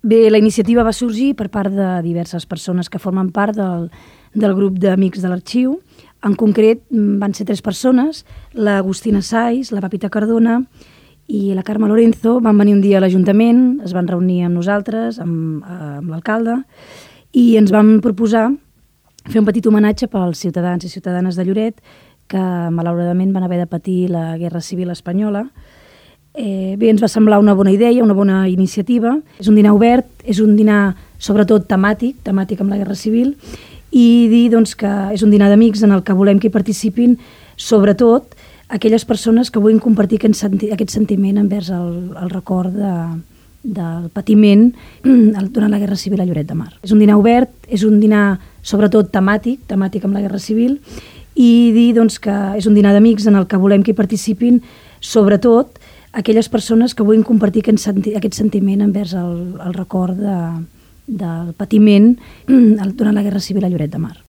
Bé, la iniciativa va sorgir per part de diverses persones que formen part del grup d'amics de l'arxiu. En concret, van ser 3 persones, l'Agustina Saiz, la Pepita Cardona i la Carme Lorenzo. Van venir un dia a l'Ajuntament, es van reunir amb nosaltres, amb l'alcalde, i ens van proposar fer un petit homenatge pels ciutadans i ciutadanes de Lloret que malauradament van haver de patir la Guerra Civil espanyola. Bé, ens va semblar una bona idea, una bona iniciativa. És un dinar obert, és un dinar sobretot temàtic amb la Guerra Civil, i dir doncs, que és un dinar d'amics en el que volem que hi participin sobretot aquelles persones que vulguin compartir aquest sentiment envers el record del patiment durant la Guerra Civil a Lloret de Mar. És un dinar obert, és un dinar sobretot temàtic amb la Guerra Civil, i dir doncs, que és un dinar d'amics en el que volem que hi participin sobretot aquelles persones que vulguin compartir aquest sentiment envers el record del patiment durant la Guerra Civil a Lloret de Mar.